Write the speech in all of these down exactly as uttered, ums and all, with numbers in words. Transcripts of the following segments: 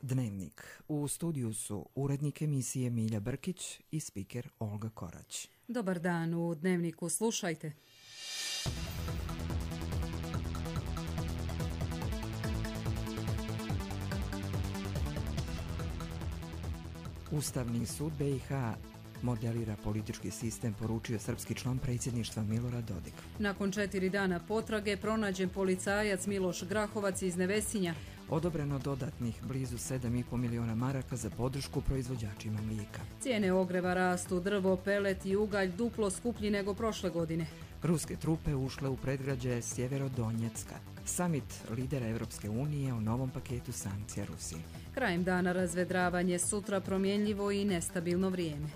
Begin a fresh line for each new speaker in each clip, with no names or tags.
Dnevnik. U studiju su urednik emisije Milja Brkić i spiker Olga Korać.
Dobar dan, u Dnevniku slušajte.
Ustavni sud B i H modelira politički sistem, poručio srpski član predsjedništva Milorad Dodik.
Nakon četiri dana potrage pronađen policajac Miloš Grahovac iz Nevesinja.
Odobreno dodatnih blizu sedam i po miliona maraka za podršku proizvođačima mlijeka.
Cijene ogreva rastu, drvo, pelet i ugalj duplo skuplji nego prošle godine.
Ruske trupe ušle u predgrađe Sjeverodonjecka. Samit lidera Europske unije o novom paketu sankcija Rusiji.
Krajem dana razvedravanje, sutra promjenljivo i nestabilno vrijeme.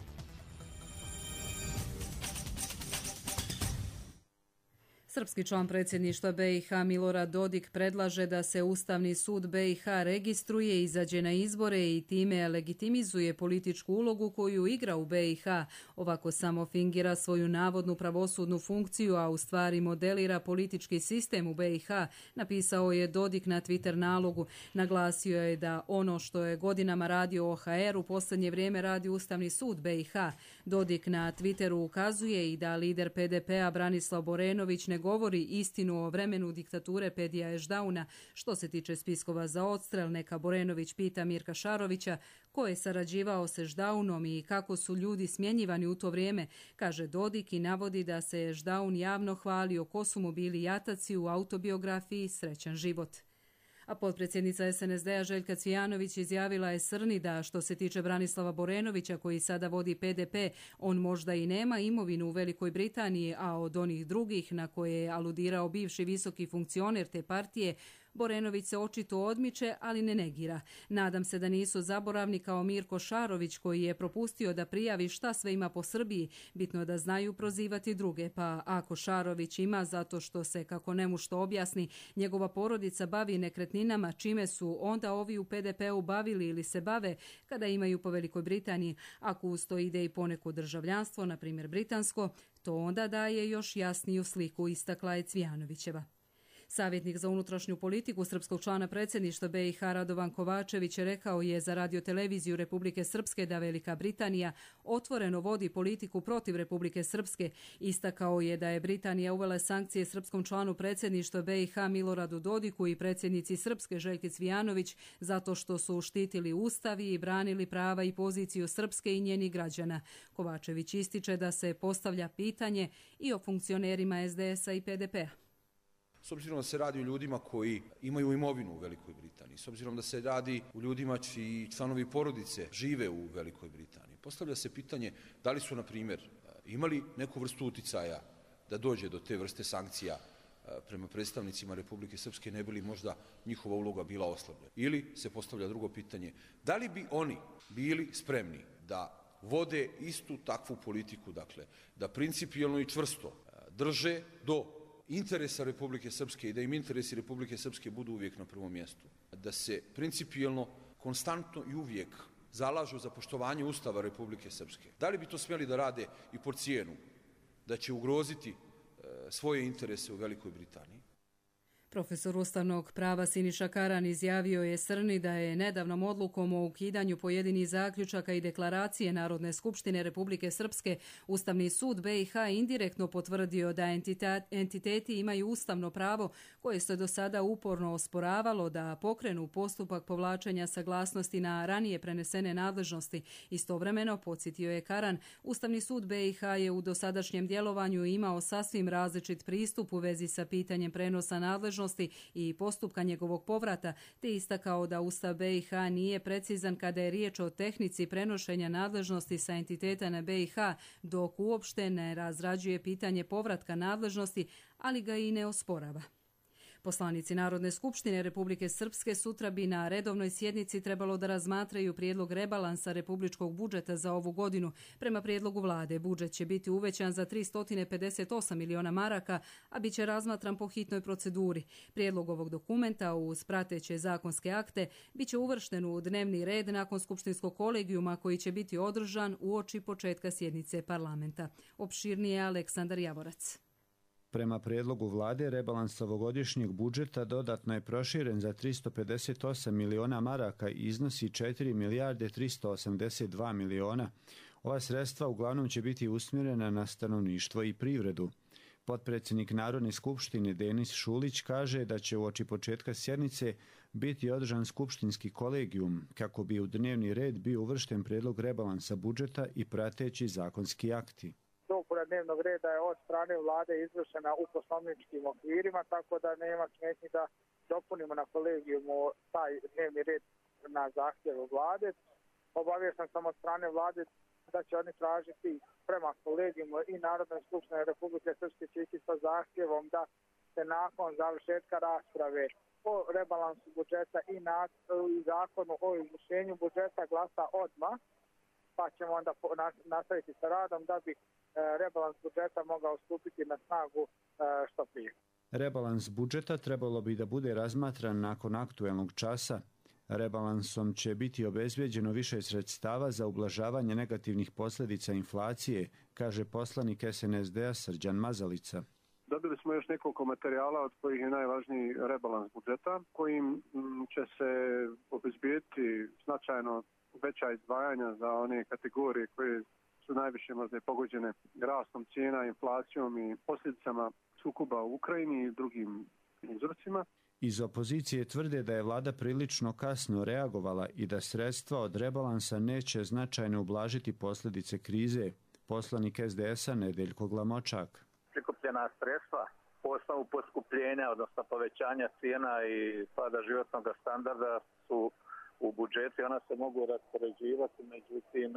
Srpski član predsjedništva B i H Milorad Dodik predlaže da se Ustavni sud B i H registruje, izađe na izbore i time legitimizuje političku ulogu koju igra u B i H. Ovako samo fingira svoju navodnu pravosudnu funkciju, a u stvari modelira politički sistem u B i H, napisao je Dodik na Twitter nalogu. Naglasio je da ono što je godinama radio O H R u posljednje vrijeme radi Ustavni sud B i H. Dodik na Twitteru ukazuje i da lider P D P-a Branislav Borenović ne govori istinu o vremenu diktature Pedija Ešdauna. Što se tiče spiskova za odstrel, neka Borenović pita Mirka Šarovića ko je sarađivao s Ešdaunom i kako su ljudi smjenjivani u to vrijeme, kaže Dodik i navodi da se Ešdaun javno hvalio ko su mu bili jataci u autobiografiji Srećan život. A potpredsjednica S N S D-a Željka Cvijanović izjavila je Srni da što se tiče Branislava Borenovića koji sada vodi P D P, on možda i nema imovinu u Velikoj Britaniji, a od onih drugih na koje je aludirao bivši visoki funkcioner te partije, Borenović se očito odmiče, ali ne negira. Nadam se da nisu zaboravni kao Mirko Šarović koji je propustio da prijavi šta sve ima po Srbiji, bitno da znaju prozivati druge, pa ako Šarović ima zato što se, kako nemu što objasni, njegova porodica bavi nekretninama, čime su onda ovi u P D P-u bavili ili se bave kada imaju po Velikoj Britaniji, ako uz to ide i poneko državljanstvo, na primjer britansko, to onda daje još jasniju sliku, istakla je Cvijanovićeva. Savjetnik za unutrašnju politiku srpskog člana predsjedništva B i H Radovan Kovačević rekao je za radioteleviziju Republike Srpske da Velika Britanija otvoreno vodi politiku protiv Republike Srpske. Istakao je da je Britanija uvela sankcije srpskom članu predsjedništva B i H Miloradu Dodiku i predsjednici Srpske Željki Cvijanović zato što su štitili ustavi i branili prava i poziciju Srpske i njenih građana. Kovačević ističe da se postavlja pitanje i o funkcionerima S D S-a i P D P-a.
S obzirom da se radi o ljudima koji imaju imovinu u Velikoj Britaniji, s obzirom da se radi o ljudima čiji članovi porodice žive u Velikoj Britaniji, postavlja se pitanje da li su, na primjer, imali neku vrstu uticaja da dođe do te vrste sankcija prema predstavnicima Republike Srpske, ne bi li možda njihova uloga bila oslabljena. Ili se postavlja drugo pitanje, da li bi oni bili spremni da vode istu takvu politiku, dakle, da principijelno i čvrsto drže do interesa Republike Srpske i da im interesi Republike Srpske budu uvijek na prvom mjestu. Da se principijelno, konstantno i uvijek zalažu za poštovanje Ustava Republike Srpske. Da li bi to smjeli da rade i por cijenu da će ugroziti e, svoje interese u Velikoj Britaniji?
Profesor ustavnog prava Siniša Karan izjavio je Srni da je nedavnom odlukom o ukidanju pojedinih zaključaka i deklaracije Narodne skupštine Republike Srpske Ustavni sud B i H indirektno potvrdio da entiteti imaju ustavno pravo koje se do sada uporno osporavalo da pokrenu postupak povlačenja saglasnosti na ranije prenesene nadležnosti. Istovremeno, podsjetio je Karan, Ustavni sud B i H je u dosadašnjem djelovanju imao sasvim različit pristup u vezi sa pitanjem prenosa nadležnosti i postupka njegovog povrata, te istakao da Ustav B i H nije precizan kada je riječ o tehnici prenošenja nadležnosti sa entiteta na B i H, dok uopšte ne razrađuje pitanje povratka nadležnosti, ali ga i ne osporava. Poslanici Narodne skupštine Republike Srpske sutra bi na redovnoj sjednici trebalo da razmatraju prijedlog rebalansa republičkog budžeta za ovu godinu. Prema prijedlogu vlade, budžet će biti uvećan za tristo pedeset osam miliona maraka, a bit će razmatran po hitnoj proceduri. Prijedlog ovog dokumenta uz prateće zakonske akte bit će uvršten u dnevni red nakon skupštinskog kolegijuma koji će biti održan uoči početka sjednice parlamenta. Opširnije Aleksandar Javorac.
Prema prijedlogu vlade, rebalans ovogodišnjeg budžeta dodatno je proširen za tristo pedeset osam miliona maraka i iznosi četiri milijarde tristo osamdeset dva miliona. Ova sredstva uglavnom će biti usmjerena na stanovništvo i privredu. Potpredsjednik Narodne skupštine Denis Šulić kaže da će uoči početka sjednice biti održan skupštinski kolegijum kako bi u dnevni red bio uvršten prijedlog rebalansa budžeta i prateći zakonski akti.
Dopuna dnevnog reda je od strane vlade izvršena u poslovničkim okvirima, tako da nema smetnji da dopunimo na kolegijumu taj dnevni red na zahtjevu vlade. Obaviješten sam od strane vlade da će oni tražiti prema kolegijumu i Narodnoj skupštini Republike Srpske će ići sa zahtjevom da se nakon završetka rasprave o rebalansu budžeta i, na, i zakonu o izvršenju budžeta glasa odmah, pa ćemo onda nastaviti sa radom da bi rebalans budžeta mogao stupiti na snagu što prije.
Rebalans budžeta trebalo bi da bude razmatran nakon aktuelnog časa. Rebalansom će biti obezbijeđeno više sredstava za ublažavanje negativnih posljedica inflacije, kaže poslanik es en es de a Srđan Mazalica.
Dobili smo još nekoliko materijala od kojih je najvažniji rebalans budžeta, kojim će se obezbijeti značajno veća izdvajanja za one kategorije koje su najviše možda pogođene rastom cijena, inflacijom i posljedicama sukoba u Ukrajini i drugim uzrocima.
Iz opozicije tvrde da je vlada prilično kasno reagovala i da sredstva od rebalansa neće značajno ublažiti posljedice krize. Poslanik es de es a Nedeljko Glamočak.
Prikupljena sredstva po osnovu poskupljenja, odnosno povećanja cijena i pada životnog standarda su u budžeti, ona se mogu raspoređivati, međutim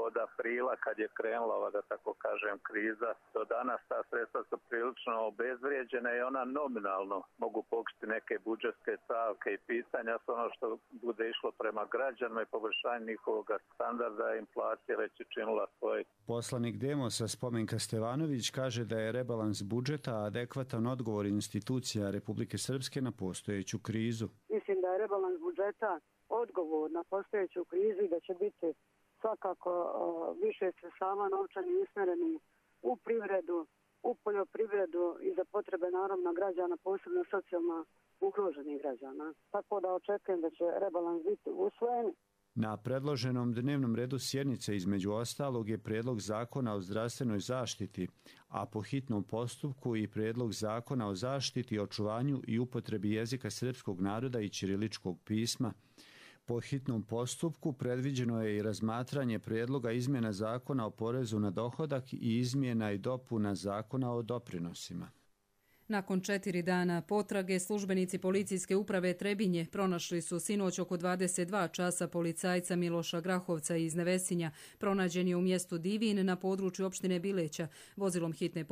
od aprila kad je krenula ova, da tako kažem, kriza, do danas ta sredstva su prilično obezvrijeđena i ona nominalno mogu pokriti neke budžetske stavke i pitanja, s ono što bude išlo prema građanima i poboljšanje njihovog standarda, inflacija već je činila svoje.
Poslanik Demosa Spomenka Stevanović kaže da je rebalans budžeta adekvatan odgovor institucija Republike Srpske na postojeću krizu.
Mislim da je rebalans budžeta odgovor na postojeću krizu i da će biti svakako uh, više sredstava novčani usmjereni u privredu, u poljoprivredu i za potrebe naravno građana, posebno socijalno ugroženih građana. Tako da očekujem da će rebalans biti usvojen.
Na predloženom dnevnom redu sjednice između ostalog je prijedlog zakona o zdravstvenoj zaštiti, a po hitnom postupku i prijedlog zakona o zaštiti, očuvanju i upotrebi jezika srpskog naroda i ćiriličkog pisma. Po hitnom postupku predviđeno je i razmatranje prijedloga izmjena zakona o porezu na dohodak i izmjena i dopuna zakona o doprinosima.
Nakon četiri dana potrage, službenici policijske uprave Trebinje pronašli su sinoć oko dvadeset dva časa policajca Miloša Grahovca iz Nevesinja. Pronađen je u mjestu Divin na području opštine Bileća. Vozilom hitne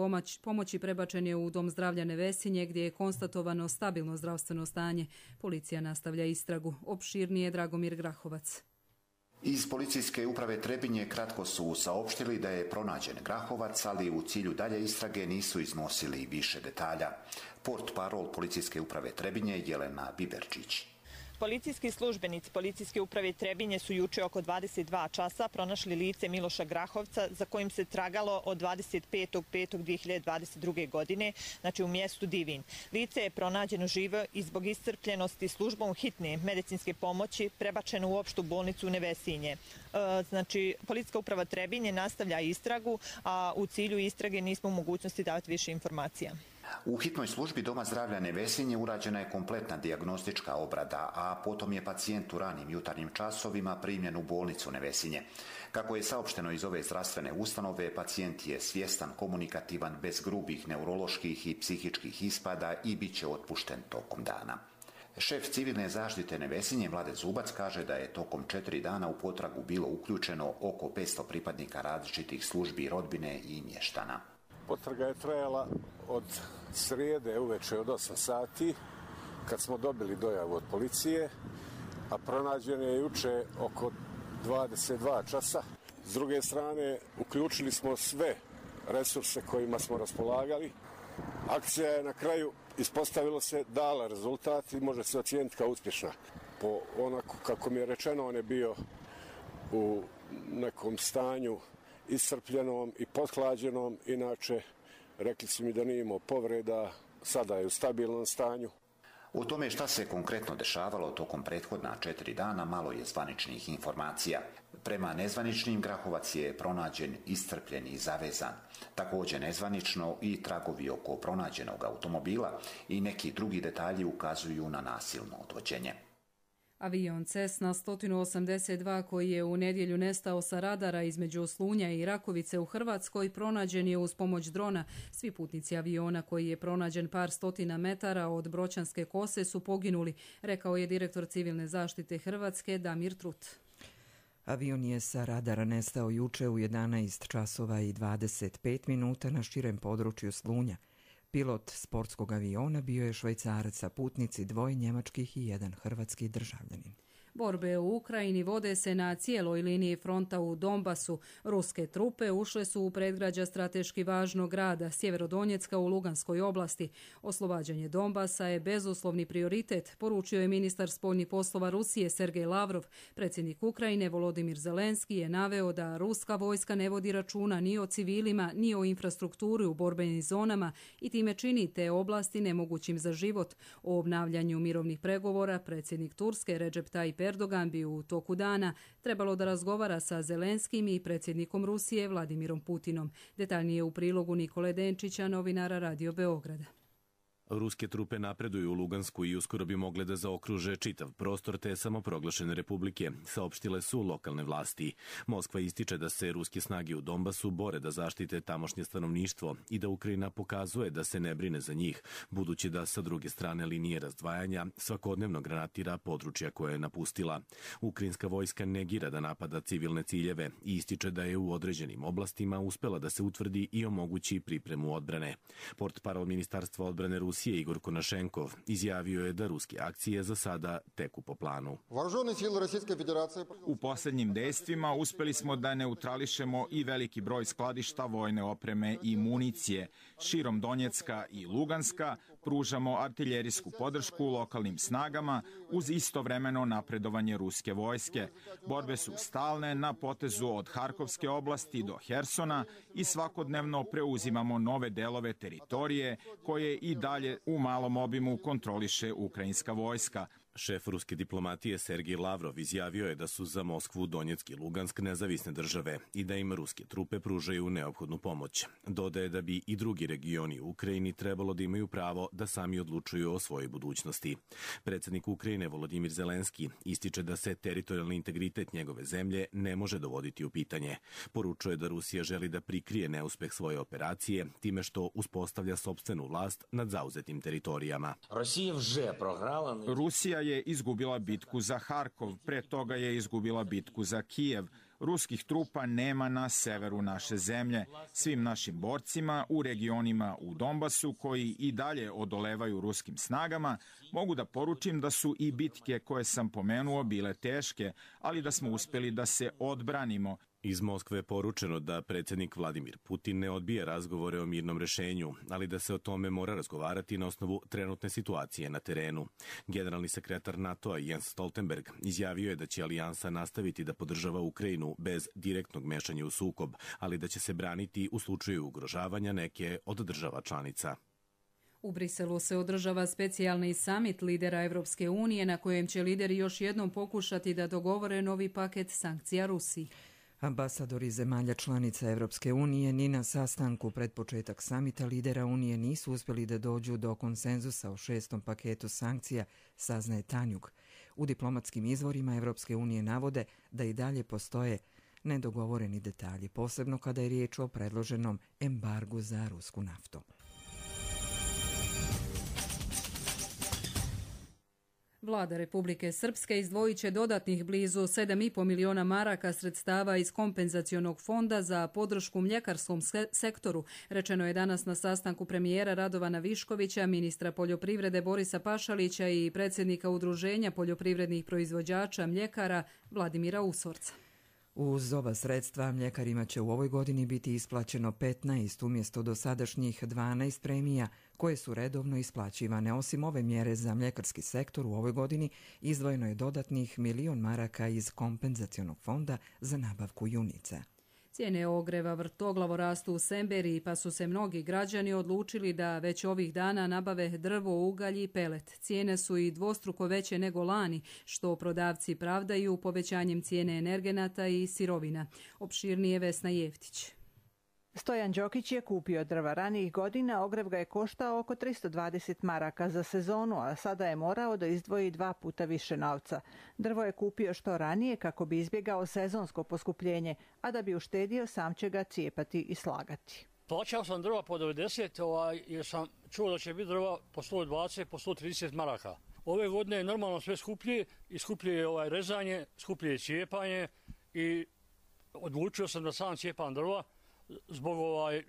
pomoći prebačen je u Dom zdravlja Nevesinje gdje je konstatovano stabilno zdravstveno stanje. Policija nastavlja istragu. Opširnije Dragomir Grahovac.
Iz policijske uprave Trebinje kratko su saopštili da je pronađen Grahovac, ali u cilju dalje istrage nisu iznosili više detalja. Portparol policijske uprave Trebinje Jelena Biberčić.
Policijski službenici policijske uprave Trebinje su juče oko dvadeset dva časa pronašli lice Miloša Grahovca za kojim se tragalo od dvadeset petog petog dve hiljade dvadeset druge. godine, znači u mjestu Divin. Lice je pronađeno živo i zbog iscrpljenosti službom hitne medicinske pomoći prebačeno u opštu bolnicu u Nevesinje. E, znači, policijska uprava Trebinje nastavlja istragu, a u cilju istrage nismo u mogućnosti davati više informacija.
U hitnoj službi Doma zdravlja Nevesinje urađena je kompletna dijagnostička obrada, a potom je pacijent u ranim jutarnjim časovima primljen u bolnicu Nevesinje. Kako je saopšteno iz ove zdravstvene ustanove, pacijent je svjestan, komunikativan, bez grubih neuroloških i psihičkih ispada i bit će otpušten tokom dana. Šef civilne zaštite Nevesinje Vlade Zubac kaže da je tokom četiri dana u potragu bilo uključeno oko petsto pripadnika različitih službi rodbine i mještana.
Potraga je trajala od srijede uveče od osam sati, kad smo dobili dojavu od policije, a pronađen je juče oko dvadeset dva časa. S druge strane, uključili smo sve resurse kojima smo raspolagali. Akcija je na kraju, ispostavilo se, dala rezultat i može se ocijeniti kao uspješna. Po onako kako mi je rečeno, on je bio u nekom stanju iscrpljenom i pothlađenom, inače Rekli su mi da nije imao povreda, sada je u stabilnom stanju.
O tome šta se konkretno dešavalo tokom prethodna četiri dana malo je zvaničnih informacija. Prema nezvaničnim Grahovac je pronađen iscrpljen i zavezan. Također nezvanično i tragovi oko pronađenog automobila i neki drugi detalji ukazuju na nasilno odvođenje.
Avion Cessna sto osamdeset dva koji je u nedjelju nestao sa radara između Slunja i Rakovice u Hrvatskoj pronađen je uz pomoć drona. Svi putnici aviona koji je pronađen par stotina metara od Broćanske kose su poginuli, rekao je direktor civilne zaštite Hrvatske Damir Trut.
Avion je sa radara nestao juče u jedanaest časova i dvadeset pet minuta na širem području Slunja. Pilot sportskog aviona bio je Švajcarac, a putnici dvoje njemačkih i jedan hrvatski državljanin.
Borbe u Ukrajini vode se na cijeloj liniji fronta u Donbasu. Ruske trupe ušle su u predgrađa strateški važnog grada Sjeverodonjecka u Luganskoj oblasti. Oslobađanje Donbasa je bezuslovni prioritet, poručio je ministar spoljnih poslova Rusije Sergej Lavrov. Predsjednik Ukrajine Volodimir Zelenski je naveo da ruska vojska ne vodi računa ni o civilima, ni o infrastrukturi u borbenim zonama i time čini te oblasti nemogućim za život. O obnavljanju mirovnih pregovora predsjednik Turske Recep Tayyip Erdogan bi u toku dana trebalo da razgovara sa Zelenskim i predsjednikom Rusije Vladimirom Putinom. Detaljnije u prilogu Nikole Denčića, novinara Radio Beograda.
Ruske trupe napreduju u Lugansku i uskoro bi mogle da zaokruže čitav prostor te samoproglašene republike, saopštile su lokalne vlasti. Moskva ističe da se ruske snage u Donbasu bore da zaštite tamošnje stanovništvo i da Ukrajina pokazuje da se ne brine za njih, budući da sa druge strane linije razdvajanja svakodnevno granatira područja koje je napustila. Ukrajinska vojska negira da napada civilne ciljeve i ističe da je u određenim oblastima uspela da se utvrdi i omogući pripremu odbrane. Portparol Ministarstva odbrane Rusije Igor Konašenkov izjavio je da ruske akcije za sada teku po planu.
U posljednjim dejstvima uspjeli smo da neutrališemo i veliki broj skladišta vojne opreme i municije. Širom Donjecka i Luganska pružamo artiljerijsku podršku lokalnim snagama uz istovremeno napredovanje ruske vojske. Borbe su stalne na potezu od Harkovske oblasti do Hersona i svakodnevno preuzimamo nove delove teritorije koje i dalje u malom obimu kontroliše ukrajinska vojska.
Šef ruske diplomatije Sergej Lavrov izjavio je da su za Moskvu, Donjeck i Lugansk nezavisne države i da im ruske trupe pružaju neophodnu pomoć. Dodaje da bi i drugi regioni u Ukrajini trebalo da imaju pravo da sami odlučuju o svojoj budućnosti. Predsjednik Ukrajine Volodimir Zelenski ističe da se teritorijalni integritet njegove zemlje ne može dovoditi u pitanje. Poručuje da Rusija želi da prikrije neuspeh svoje operacije time što uspostavlja sopstvenu vlast nad zauzetim teritorijama.
Rusija je izgubila bitku za Harkov, pre toga je izgubila bitku za Kijev. Ruskih trupa nema na severu naše zemlje. Svim našim borcima u regionima u Donbasu koji i dalje odolevaju ruskim snagama mogu da poručim da su i bitke koje sam pomenuo bile teške, ali da smo uspjeli da se odbranimo.
Iz Moskve je poručeno da predsjednik Vladimir Putin ne odbija razgovore o mirnom rešenju, ali da se o tome mora razgovarati na osnovu trenutne situacije na terenu. Generalni sekretar NATO-a Jens Stoltenberg izjavio je da će alijansa nastaviti da podržava Ukrajinu bez direktnog mešanja u sukob, ali da će se braniti u slučaju ugrožavanja neke od država članica.
U Briselu se održava specijalni samit lidera Evropske unije na kojem će lideri još jednom pokušati da dogovore novi paket sankcija Rusiji.
Ambasadori zemalja članica Evropske unije ni na sastanku pred početak samita lidera Unije nisu uspjeli da dođu do konsenzusa o šestom paketu sankcija, saznaje Tanjug. U diplomatskim izvorima Evropske unije navode da i dalje postoje nedogovoreni detalji, posebno kada je riječ o predloženom embargu za rusku naftu.
Vlada Republike Srpske izdvojit će dodatnih blizu sedam i po miliona maraka sredstava iz kompenzacionog fonda za podršku mljekarskom sektoru, rečeno je danas na sastanku premijera Radovana Viškovića, ministra poljoprivrede Borisa Pašalića i predsjednika Udruženja poljoprivrednih proizvođača mljekara Vladimira Usvorca.
Uz ova sredstva mljekarima će u ovoj godini biti isplaćeno petnaest umjesto dosadašnjih dvanaest premija koje su redovno isplaćivane. Osim ove mjere za mljekarski sektor u ovoj godini izdvojeno je dodatnih milion maraka iz kompenzacionog fonda za nabavku junica.
Cijene ogreva vrtoglavo rastu u Semberiji, pa su se mnogi građani odlučili da već ovih dana nabave drvo, ugalj i pelet. Cijene su i dvostruko veće nego lani, što prodavci pravdaju povećanjem cijene energenata i sirovina. Opširnije Vesna Jeftić.
Stojan Đokić je kupio drva ranijih godina, ogrev ga je koštao oko tristo dvadeset maraka za sezonu, a sada je morao da izdvoji dva puta više novca. Drvo je kupio što ranije kako bi izbjegao sezonsko poskupljenje, a da bi uštedio sam će ga cijepati i slagati.
Plaćao sam drva po devedeset, ovaj, jer sam čuo da će biti drva po sto dvadeset, po sto trideset maraka. Ove godine je normalno sve skuplje i skuplje je ovaj rezanje, skuplje je cijepanje i odlučio sam da sam cijepam drva zbog, ovaj,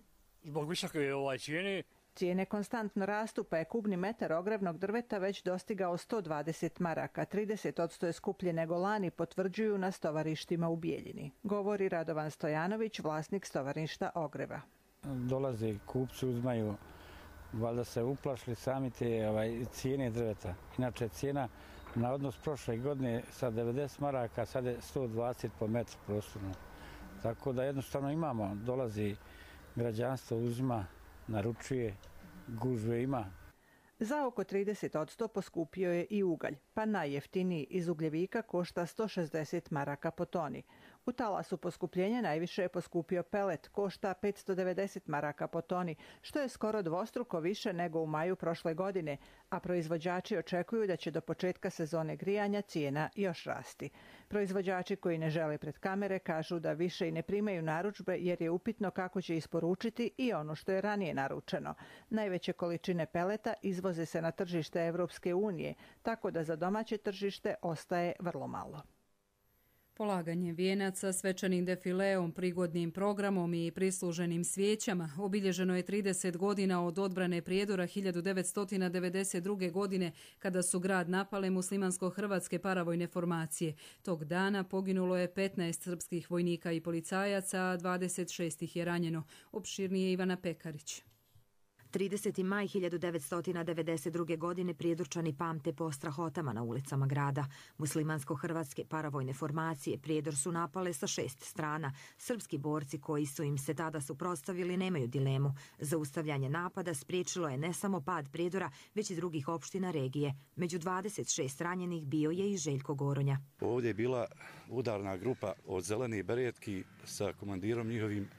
zbog visoke ovaj, cijene.
Cijene konstantno rastu, pa je kubni metar ogrevnog drveta već dostigao sto dvadeset maraka. trideset posto je skuplje nego lani, potvrđuju na stovarištima u Bijeljini. Govori Radovan Stojanović, vlasnik stovarišta ogreva.
Dolaze kupci, uzmaju, valjda se uplašili sami te ovaj, cijene drveta. Inače cijena na odnos prošle godine sa devedeset maraka, sad je sto dvadeset po metru prostorno. Tako da jednostavno imamo, dolazi građanstvo, uzima, naručuje, gužve ima.
Za oko trideset posto poskupio je i ugalj, pa najjeftiniji iz ugljevika košta sto šezdeset maraka po toni. U talasu poskupljenja najviše je poskupio pelet, košta petsto devedeset maraka po toni, što je skoro dvostruko više nego u maju prošle godine, a proizvođači očekuju da će do početka sezone grijanja cijena još rasti. Proizvođači koji ne žele pred kamere kažu da više i ne primaju narudžbe jer je upitno kako će isporučiti i ono što je ranije naručeno. Najveće količine peleta izvoze se na tržište Evropske unije, tako da za domaće tržište ostaje vrlo malo.
Polaganje vijenaca, svečanim defileom, prigodnim programom i prisluženim svijećama obilježeno je trideset godina od odbrane Prijedora hiljadu devetsto devedeset druge. godine kada su grad napale muslimansko-hrvatske paravojne formacije. Tog dana poginulo je petnaest srpskih vojnika i policajaca, a dvadeset šest ih je ranjeno. Opširnije Ivana Pekarić.
trideseti maj hiljadu devetsto devedeset druge. godine Prijedorčani pamte po strahotama na ulicama grada. Muslimansko-hrvatske paravojne formacije Prijedor su napale sa šest strana. Srpski borci koji su im se tada suprotstavili nemaju dilemu. Zaustavljanje napada spriječilo je ne samo pad Prijedora, već i drugih opština regije. Među dvadeset šest ranjenih bio je i Željko Goronja.
Ovdje je bila udarna grupa od Zelenih beretki sa komandirom njihovim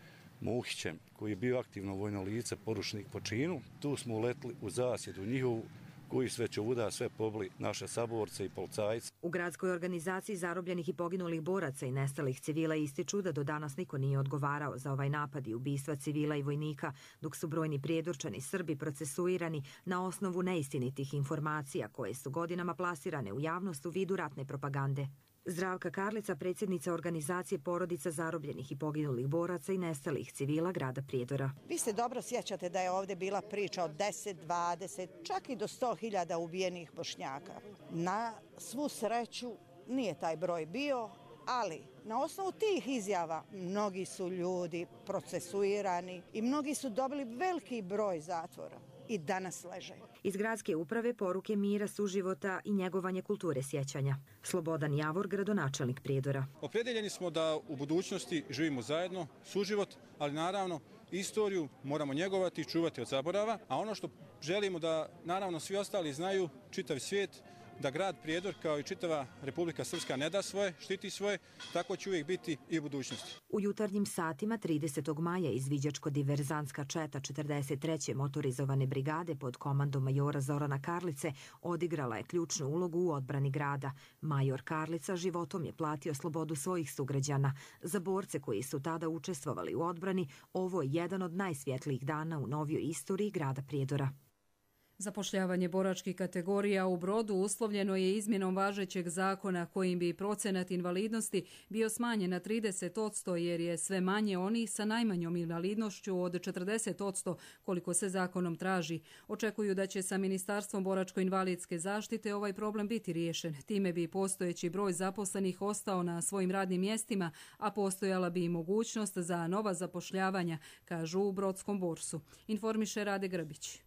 Muhićem, koji je bio aktivno vojno lice, poručnik po činu. Tu smo uletli u zasjedu njihovu, koji sve čuda, sve pobili naše saborce i policajce.
U gradskoj organizaciji zarobljenih i poginulih boraca i nestalih civila ističu da do danas niko nije odgovarao za ovaj napad i ubistva civila i vojnika, dok su brojni Prijedorčani Srbi procesuirani na osnovu neistinitih informacija koje su godinama plasirane u javnost u vidu ratne propagande. Zdravka Karlica, predsjednica organizacije porodica zarobljenih i poginulih boraca i nestalih civila grada Prijedora.
Vi se dobro sjećate da je ovdje bila priča od deset, dvadeset, čak i do sto hiljada ubijenih Bošnjaka. Na svu sreću nije taj broj bio, ali na osnovu tih izjava mnogi su ljudi procesuirani i mnogi su dobili veliki broj zatvora i danas leže.
Iz gradske uprave poruke mira, suživota i njegovanje kulture sjećanja. Slobodan Javor, gradonačelnik Prijedora.
Opredeljeni smo da u budućnosti živimo zajedno, suživot, ali naravno istoriju moramo njegovati i čuvati od zaborava, a ono što želimo da naravno svi ostali znaju, čitav svijet, da grad Prijedor kao i čitava Republika Srpska ne da svoje, štiti svoje, tako će uvijek biti i u budućnosti.
U jutarnjim satima tridesetog maja izviđačko-diverzantska četa četrdeset treće motorizovane brigade pod komandom majora Zorana Karlice odigrala je ključnu ulogu u odbrani grada. Major Karlica životom je platio slobodu svojih sugrađana. Za borce koji su tada učestvovali u odbrani, ovo je jedan od najsvjetlijih dana u novijoj istoriji grada Prijedora.
Zapošljavanje boračkih kategorija u Brodu uslovljeno je izmjenom važećeg zakona kojim bi procenat invalidnosti bio smanjen na trideset posto jer je sve manje onih sa najmanjom invalidnošću od četrdeset posto koliko se zakonom traži. Očekuju da će sa Ministarstvom boračko-invalidske zaštite ovaj problem biti riješen. Time bi postojeći broj zaposlenih ostao na svojim radnim mjestima, a postojala bi i mogućnost za nova zapošljavanja, kažu u Brodskom borsu. Informiše Rade Grbić.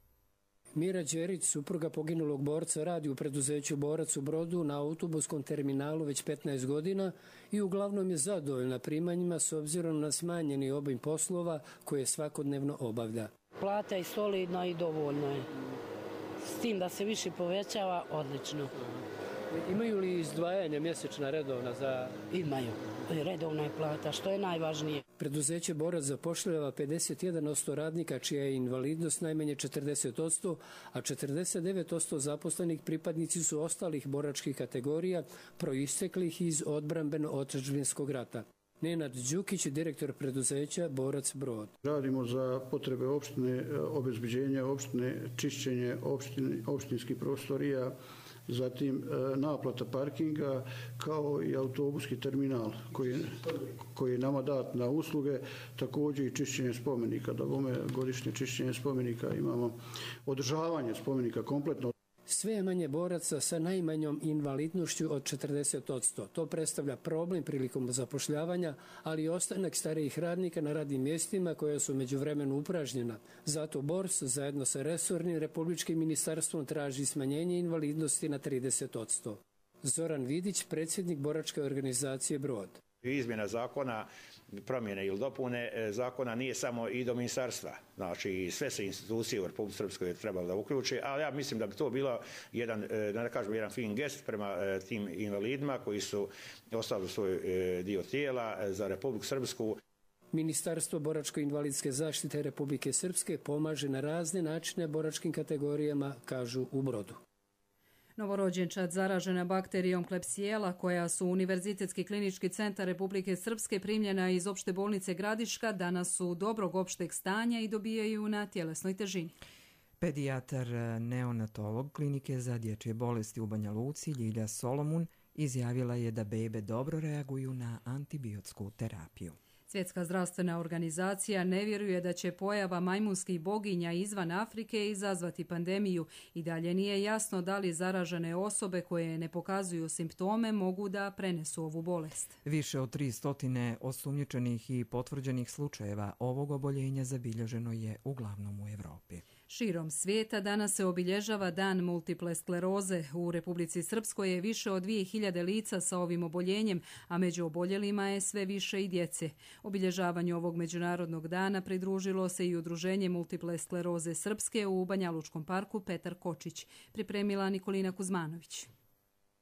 Mira Đerić, supruga poginulog borca, radi u preduzeću Borac u Brodu na autobuskom terminalu već petnaest godina i uglavnom je zadovoljna primanjima s obzirom na smanjeni obim poslova koje svakodnevno obavlja.
Plata je solidna i dovoljno je. S tim da se više povećava, odlično.
Imaju li izdvajanja mjesečna redovna za...
Imaju. Redovna je plata, što je najvažnije.
Preduzeće Borac zapošljava pedeset jedan posto radnika čija je invalidnost najmanje četrdeset posto, a četrdeset devet posto zaposlenih pripadnici su ostalih boračkih kategorija proisteklih iz odbrambeno-otadžbinskog rata. Nenad Đukić, direktor preduzeća Borac Brod.
Radimo za potrebe opštine, obezbeđenja opštine, čišćenje opštine, opštinskih prostorija, zatim naplata parkinga kao i autobuski terminal koji, koji je nama dat na usluge, također i čišćenje spomenika. Da bome godišnje čišćenje spomenika imamo održavanje spomenika kompletno.
Sve je manje boraca sa najmanjom invalidnošću od četrdeset posto. To predstavlja problem prilikom zapošljavanja, ali i ostanak starijih radnika na radnim mjestima koja su međuvremenu upražnjena. Zato Bors zajedno sa resornim republičkim ministarstvom traži smanjenje invalidnosti na trideset posto. Zoran Vidić, predsjednik boračke organizacije Brod.
Izmjena zakona, promjene ili dopune zakona nije samo i do ministarstva. Znači, sve se institucije u Republici Srpskoj trebalo da uključe, ali ja mislim da bi to bilo jedan, da ne kažem, jedan fin gest prema tim invalidima koji su ostavili svoj dio tijela za Republiku Srpsku.
Ministarstvo boračko-invalidske zaštite Republike Srpske pomaže na razne načine boračkim kategorijama, kažu u Brodu.
Novorođenčad zaražena bakterijom Klebsiella, koja su Univerzitetski klinički centar Republike Srpske primljena iz opšte bolnice Gradiška, danas su dobrog opšteg stanja i dobijaju na tjelesnoj težini.
Pedijatar neonatolog klinike za dječje bolesti u Banja Luci, Ljilja Solomun, izjavila je da bebe dobro reaguju na antibiotsku terapiju.
Svjetska zdravstvena organizacija ne vjeruje da će pojava majmunskih boginja izvan Afrike izazvati pandemiju i dalje nije jasno da li zaražene osobe koje ne pokazuju simptome mogu da prenesu ovu bolest.
Više od tri stotine osumnjičenih i potvrđenih slučajeva ovog oboljenja zabilježeno je uglavnom u Evropi.
Širom svijeta danas se obilježava dan multiple skleroze. U Republici Srpskoj je više od dvije hiljade lica sa ovim oboljenjem, a među oboljelima je sve više i djece. Obilježavanju ovog međunarodnog dana pridružilo se i Udruženje multiple skleroze Srpske u Banjalučkom parku Petar Kočić. Pripremila Nikolina Kuzmanović.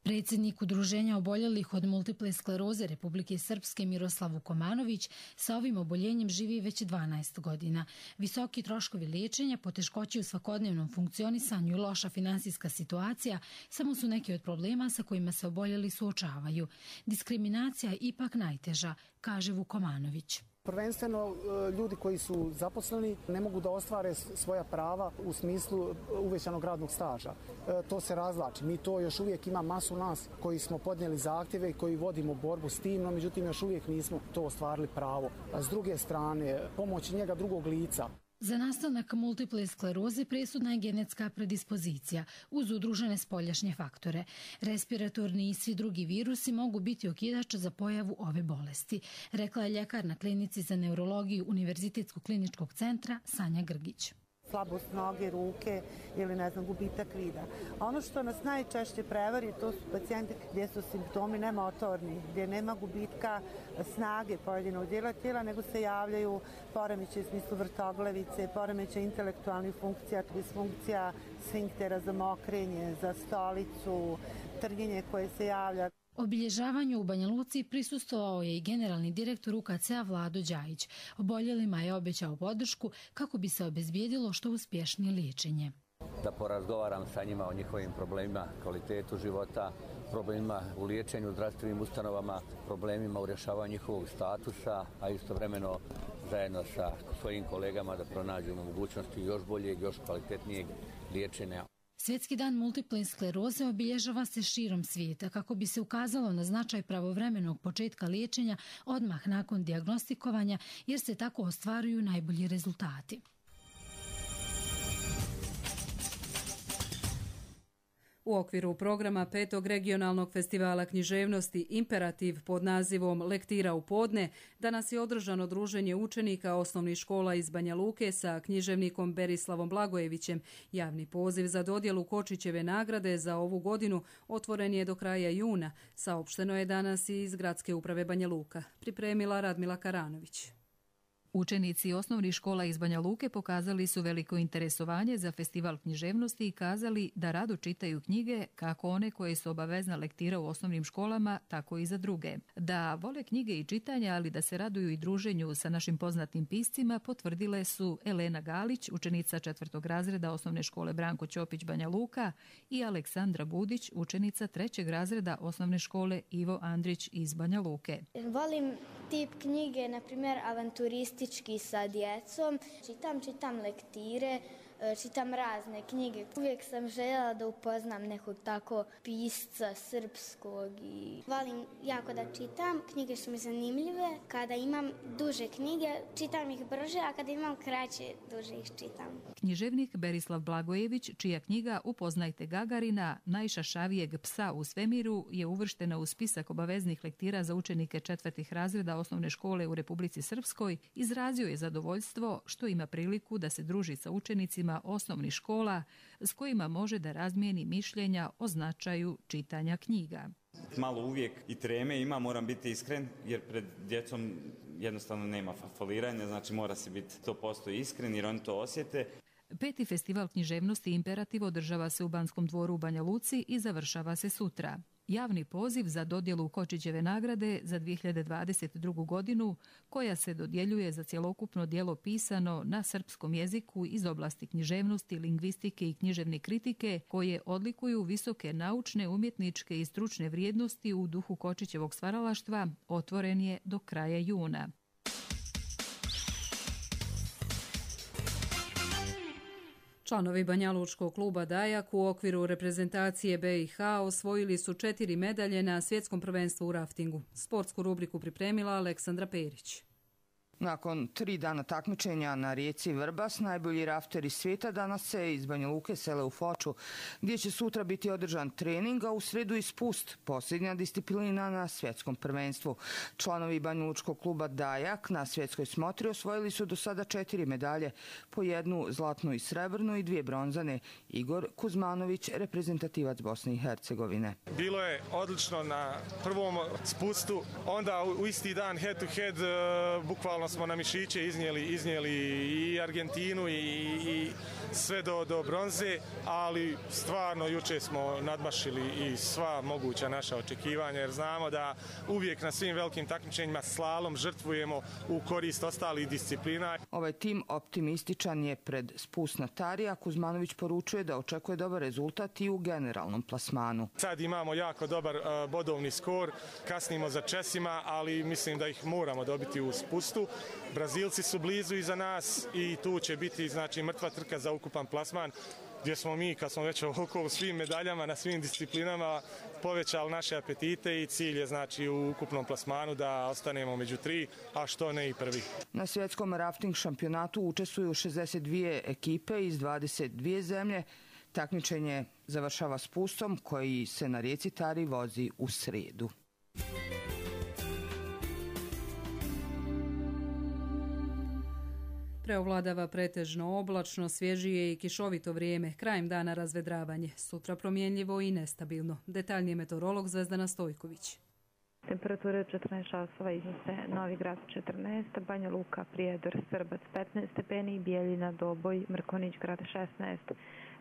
Predsjednik Udruženja oboljelih od multiple skleroze Republike Srpske Miroslav Vukomanović sa ovim oboljenjem živi već dvanaest godina. Visoki troškovi liječenja, poteškoće u svakodnevnom funkcionisanju i loša finansijska situacija samo su neki od problema sa kojima se oboljeli suočavaju. Diskriminacija je ipak najteža, kaže Vukomanović.
Prvenstveno ljudi koji su zaposleni ne mogu da ostvare svoja prava u smislu uvećanog radnog staža. To se razlači. Mi to još uvijek ima masu nas koji smo podnijeli zahtjeve i koji vodimo borbu s tim, no međutim još uvijek nismo to ostvarili pravo. A s druge strane, pomoć njega drugog lica.
Za nastanak multiple skleroze presudna je genetska predispozicija uz udružene spoljašnje faktore. Respiratorni i svi drugi virusi mogu biti okidač za pojavu ove bolesti, rekla je ljekar na klinici za neurologiju Univerzitetskog kliničkog centra Sanja Grgić.
Slabost noge, ruke ili ne znam, gubitak vida. A ono što nas najčešće prevari, to su pacijenti gdje su simptomi nemotorni, gdje nema gubitka snage pojedinog dijela tijela, nego se javljaju poremećaji u smislu vrtoglavice, poremećaji intelektualnih funkcija, disfunkcija sfinktera za mokrenje, za stolicu, trnjenje koje se javlja.
Obilježavanju u Banja Luci prisustvovao je i generalni direktor U K C-a Vlado Đajić. Oboljelima je obećao podršku kako bi se obezbijedilo što uspješnije liječenje.
Da porazgovaram sa njima o njihovim problemima, kvalitetu života, problemima u liječenju u zdravstvenim ustanovama, problemima u rješavanju njihovog statusa, a istovremeno zajedno sa svojim kolegama da pronađemo mogućnosti još boljeg, još kvalitetnijeg liječenja.
Svjetski dan multiple skleroze obilježava se širom svijeta kako bi se ukazalo na značaj pravovremenog početka liječenja odmah nakon dijagnostikovanja, jer se tako ostvaruju najbolji rezultati.
U U okviru programa petog regionalnog festivala književnosti Imperativ pod nazivom Lektira u podne, danas je održano druženje učenika osnovnih škola iz Banja Luke sa književnikom Berislavom Blagojevićem. Javni poziv za dodjelu Kočićeve nagrade za ovu godinu otvoren je do kraja juna. Saopšteno je danas i iz Gradske uprave Banja Luka. Pripremila Radmila Karanović.
Učenici osnovnih škola iz Banja Luke pokazali su veliko interesovanje za festival književnosti i kazali da rado čitaju knjige, kako one koje su obavezna lektira u osnovnim školama, tako i za druge. Da vole knjige i čitanja, ali da se raduju i druženju sa našim poznatim piscima, potvrdile su Elena Galić, učenica četvrtog razreda osnovne škole Branko Ćopić Banja Luka, i Aleksandra Budić, učenica trećeg razreda osnovne škole Ivo Andrić iz Banja Luke.
Volim tip knjige, na primjer avanturisti sa djecom. Čitam, čitam lektire, čitam razne knjige. Uvijek sam željela da upoznam nekog tako pisca srpskog. I volim jako da čitam. Knjige su mi zanimljive. Kada imam duže knjige, čitam ih brže, a kada imam kraće, duže ih čitam.
Književnik Berislav Blagojević, čija knjiga Upoznajte Gagarina, najšašavijeg psa u svemiru, je uvrštena u spisak obaveznih lektira za učenike četvrtih razreda osnovne škole u Republici Srpskoj, izrazio je zadovoljstvo što ima priliku da se druži sa učenicima osnovnih škola s kojima može da razmijeni mišljenja o značaju čitanja knjiga.
Malo uvijek i treme ima, moram biti iskren, jer pred djecom jednostavno nema foliranja, znači mora se biti sto posto iskren jer oni to osjete.
Peti festival književnosti Imperativ održava se u Banskom dvoru u Banja Luci i završava se sutra. Javni poziv za dodjelu Kočićeve nagrade za dvije hiljade dvadeset drugu. godinu, koja se dodjeljuje za cjelokupno djelo pisano na srpskom jeziku iz oblasti književnosti, lingvistike i književne kritike, koje odlikuju visoke naučne, umjetničke i stručne vrijednosti u duhu Kočićevog stvaralaštva, otvoren je do kraja juna.
Članovi Banjalučkog kluba Dajak u okviru reprezentacije B i H osvojili su četiri medalje na svjetskom prvenstvu u raftingu. Sportsku rubriku pripremila Aleksandra Perić.
Nakon tri dana takmičenja na rijeci Vrbas, najbolji rafteri svijeta danas se iz Banja Luke sele u Foču, gdje će sutra biti održan trening, a u srijedu i spust, posljednja disciplina na svjetskom prvenstvu. Članovi Banjalučkog kluba Dajak na svjetskoj smotri osvojili su do sada četiri medalje, po jednu zlatnu i srebrnu i dvije bronzane. Igor Kuzmanović, reprezentativac Bosne i Hercegovine.
Bilo je odlično na prvom spustu, onda u isti dan head to head, bukvalno smo na mišiće iznijeli, iznijeli i Argentinu i, i sve do, do bronze, ali stvarno juče smo nadmašili i sva moguća naša očekivanja, jer znamo da uvijek na svim velikim takmičenjima slalom žrtvujemo u korist ostalih disciplina.
Ovaj tim optimističan je pred spust na Tari, a Kuzmanović poručuje da očekuje dobar rezultat i u generalnom plasmanu.
Sad imamo jako dobar uh, bodovni skor, kasnimo za Česima, ali mislim da ih moramo dobiti u spustu. Brazilci su blizu iza nas i tu će biti znači mrtva trka za ukupan plasman, gdje smo mi, kad smo već oko u svim medaljama na svim disciplinama, povećali naše apetite i cilj je znači u ukupnom plasmanu da ostanemo među tri, a što ne i prvi.
Na svjetskom rafting šampionatu učestvuju šezdeset dvije ekipe iz dvadeset dvije zemlje. Takmičenje završava spustom koji se na rijeci Tari vozi u srijedu.
Preovladava pretežno oblačno, svježije i kišovito vrijeme, krajem dana razvedravanje, sutra promjenljivo i nestabilno. Detaljnije meteorolog Zvezdana Stojković.
Temperature četrnaest časova iznose Novi Grad četrnaest, Banja Luka, Prijedor, Srbac petnaest stepeni, Bijeljina, Doboj, Mrkonić Grad šesnaest,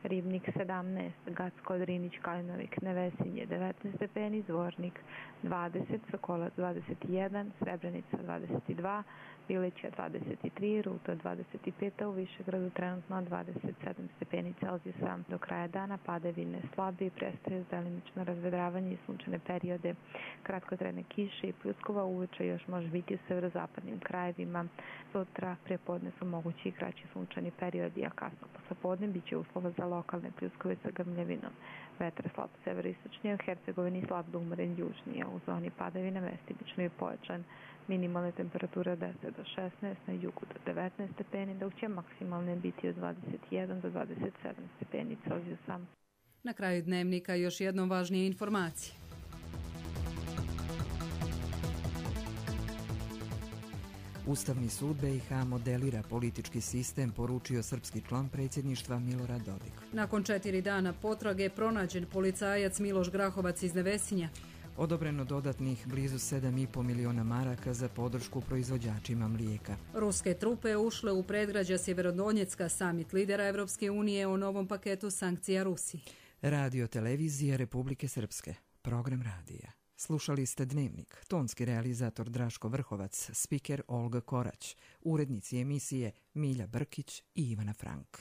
Ribnik sedamnaest, Gacko, Drinić, Kalinovik, Nevesinje devetnaest stepeni, Zvornik dvadeset, Sokolac dvadeset jedan, Srebrenica dvadeset dva, Bilića dvadeset tri, Ruto dvadeset pet, a u Višegradu trenutno dvadeset sedam stepeni Celzijusa. Do kraja dana padavine slabe i prestaju delimično razvedravanje i sunčane periode. Kratkotrajne kiše i pljuskova uveče još može biti u severozapadnim krajevima. Sutra prepodne su mogući i kraći sunčani periodi, a kasno poslepodne bit će uslova za lokalne pljuskove sa grmljavinom. Vetar slab severistočnije, u Hercegovini slab do umeren južnije, u zoni padavina mestimično i pojačan. Minimalne temperature od deset do šesnaest, na jugu do devetnaest stepeni, dok će maksimalne biti od dvadeset jedan do dvadeset sedam stepeni Celzijusa.
Na kraju dnevnika još jednom važnije informacije.
Ustavni sud B i H modelira politički sistem, poručio srpski član predsjedništva Milorad Dodik.
Nakon četiri dana potrage pronađen policajac Miloš Grahovac iz Nevesinja.
Odobreno dodatnih blizu sedam i po miliona maraka za podršku proizvođačima mlijeka.
Ruske trupe ušle u predgrađa Sjeverodonjecka, samit lidera Evropske unije o novom paketu sankcija Rusiji.
Radio televizija Republike Srpske. Program radija. Slušali ste Dnevnik, tonski realizator Draško Vrhovac, spiker Olga Korać, urednici emisije Milja Brkić i Ivana Frank.